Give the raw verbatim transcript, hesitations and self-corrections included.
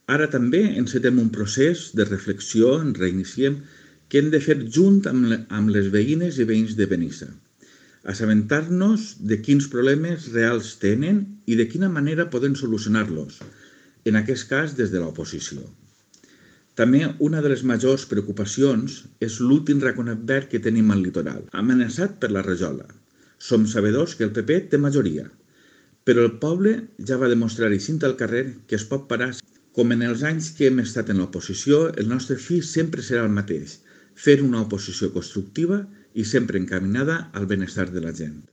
Ara també encetem un procés de reflexió, en reiniciem, que hem de fer junt amb les veïnes i veïns de Benissa. Assabentar-nos de quins problemes reals tenen i de quina manera poden solucionar-los, en aquest cas des de l'oposició. També una de les majors preocupacions és l'últim raconat verd que tenim al litoral, amenaçat per la rajola. Som sabedors que el P P té majoria, però el poble ja va demostrar eixint al carrer que es pot parar. Com en els anys que hem estat en l'oposició, el nostre fi sempre serà el mateix, fer una oposició constructiva i sempre encaminada al benestar de la gent.